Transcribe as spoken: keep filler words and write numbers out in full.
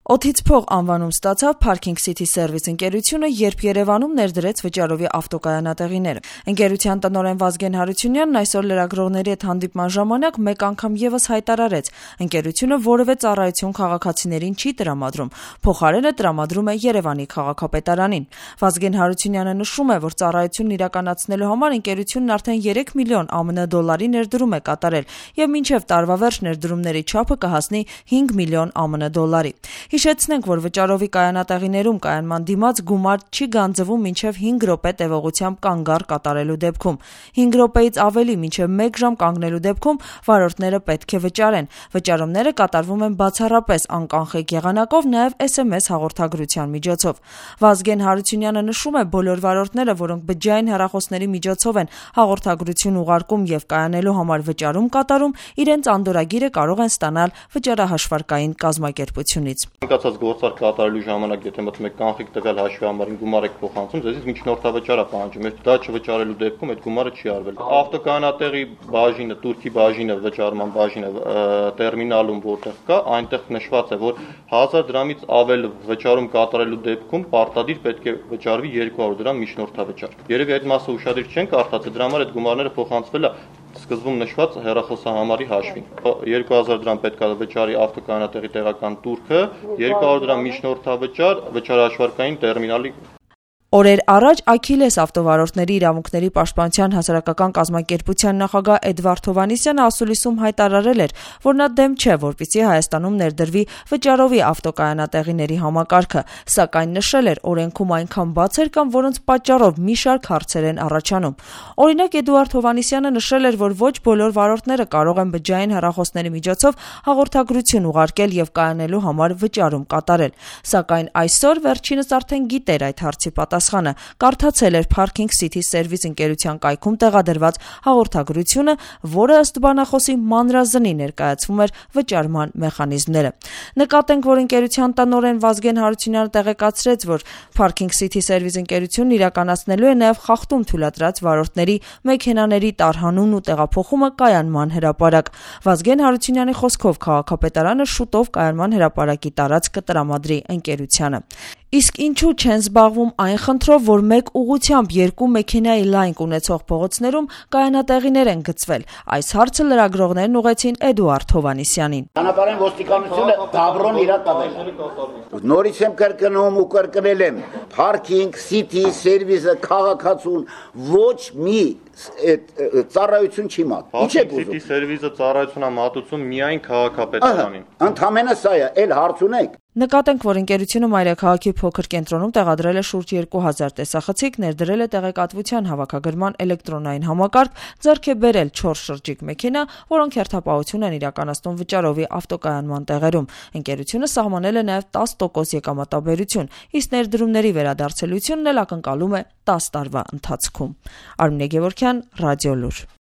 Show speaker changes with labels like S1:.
S1: Օդից փող անվանում ստացավ Parking City Service ընկերությունը, երբ Երևանում ներդրեց վճարովի ավտոկայանատեղիները։ Ընկերության տնօրեն Վազգեն Հարությունյանն այսօր լրագրողների հետ հանդիպման ժամանակ մեկ անգամ ևս հայտարարեց. ընկերությունը որևէ ծառայություն քաղաքացիներին չի տրամադրում, փոխարենը տրամադրում է Երևանի քաղաքապետարանին։ Վազգեն Հարությունյանը նշում է, որ ծառայությունն իրականացնելու համար ընկերությունն արդեն երեք միլիոն ԱՄՆ դոլարի ներդրում է կատարել եւ մինչեւ տարվա վերջ ներդրումների չափը կհասնի հինգ միլիոն ԱՄՆ դոլարի։ Հիշեցնենք, որ վճարովի կայանատեղիներում կայանման դիմաց գումար չի գանձվում մինչև հինգ րոպե տևողությամբ կանգառ կատարելու դեպքում։ հինգ րոպեից ավելի մինչև մեկ ժամ կանգնելու դեպքում վարորդները պետք է վճարեն։ Վճարումները կատարվում են բացառապես անկանխիկ եղանակով, նաև էս էմ էս հաղորդագրության միջոցով։ Վազգեն Հարությունյանը նշում է, բոլոր վարորդները, որոնք բջջային հեռախոսների միջոցով են հաղորդագրություն ուղարկում եւ կայանելու համար վճարում կատարում, իրենց անդորրագիրը կարող են ստանալ վճարահաշվարկային կազմակերպությունից։
S2: Անկացած գործարք կատարելու ժամանակ, եթե մտնում եք կանխիկ տվյալ հաշվի համարին գումար եք փոխանցում, ձեզից միջնորդավճար է պահանջում։ Եթե դա չվճարելու դեպքում այդ գումարը չի արվել։ Ավտոկայանատեղի բաժինը, Թուրքի բաժինը, վճարման բաժինը տերմինալում որտեղ կա, այնտեղ նշված է, որ հազար դրամից ավել վճարում կատարելու դեպքում պարտադիր պետք է վճարվի երկու հարյուր դրամ միջնորդավճար։ Երևի այդ մասը ուշադիր չեն կարդացել, դրա համար այդ գումարները փոխանցվել է սկզբում նշված հեռախոսահամարի հաշվին։ երկու հազար դրամ պետք է վճարի ավտոկայանատեղի տեղական տուրքը, երկու հարյուր դրամ միջնորդավճար վճարահաշվարկային տերմինալի։
S1: Օրեր առաջ Աքիլես ավտովարորդների իրավունքների պաշտպանության հասարակական կազմակերպության նախագահ Էդվարդ Հովհաննիսյանը ասուլիսում հայտարարել էր, որ նա դեմ չէ, որպեսզի Հայաստանում ներդրվի վճարովի ավտոկայանատեղիների համակարգը, սակայն նշել էր, օրենքում այնքան բացեր կան, որոնց պատճառով մի շարք հարցեր են առաջանում։ Օրինակ Էդվարդ Հովհաննիսյանը նշել էր, որ ոչ բոլոր վարորդները կարող են բջջային հեռախոսների միջոցով հաղորդագրություն ուղարկել եւ կայանելու համար վճարում կատարել։ Սակայն այսօր վերջինս արդեն գիտեր այդ հարցի պատասխանը, կարդացել էր Parking City Service ընկերության կայքում տեղադրված հաղորդագրությունը, որը ըստ բանախոսի մանրազնի ներկայացվում էր վճարման մեխանիզմները։ Նկատենք, որ ընկերության տնօրեն Վազգեն Հարությունյանը տեղեկացրեց, որ Parking City Service ընկերությունն իրականացնելու է նաև խախտում թույլատրած վարորդների մեքենաների տարհանումն ու տեղափոխումը կայանման հրապարակ։ Վազգեն Հարությունյանի խոսքով քաղաքապետարանը շուտով կայանման հրապարակի տարածք կտրամադրի ընկերությանը։ Իսկ ինչու չեն զբաղվում այն խնդրով, որ մեկ ուղղությամբ երկու մեքենայի լայնք ունեցող փողոցներում կայանատեղիներ են գծվել։ Այս հարցը լրագրողներն ուղղեցին Էդուարդ Հովհաննիսյանին։
S3: Հանրապետական ոստիկանությունը դաբրոն իրա տվել։ Նորից եմ կրկնում ու կրկնել եմ, Parking City Service-ը քաղաքացուն ոչ մի ծառայություն չի մատում։ Ինչ եք ուզում։
S2: City Service-ը ծառայություն է մատուցում միայն քաղաքապետարանին։
S3: Ընդամենը սա է, էլ հարց ունեք։
S1: Նկատենք, որ ընկերությունը մայրաքաղաքի փոքր կենտրոնում տեղադրել է շուրջ երկու հազար տեսախցիկ, ներդրել է տեղեկատվության հավաքագրման էլեկտրոնային համակարգ, ձեռք է բերել չորս շրջիկ մեքենա, որոնք հերթապահություն են իրականացնում վճարովի ավտոկայանման տեղերում։ Ընկերությունը սահմանել է նաև տասը տոկոս եկամտաբերություն, իսկ ներդրումների վերադարձելությունն էլ ակնկալում է տասը տարվա ընթացքում։ Արմինե Գևորգյան, Ռադիոլուր։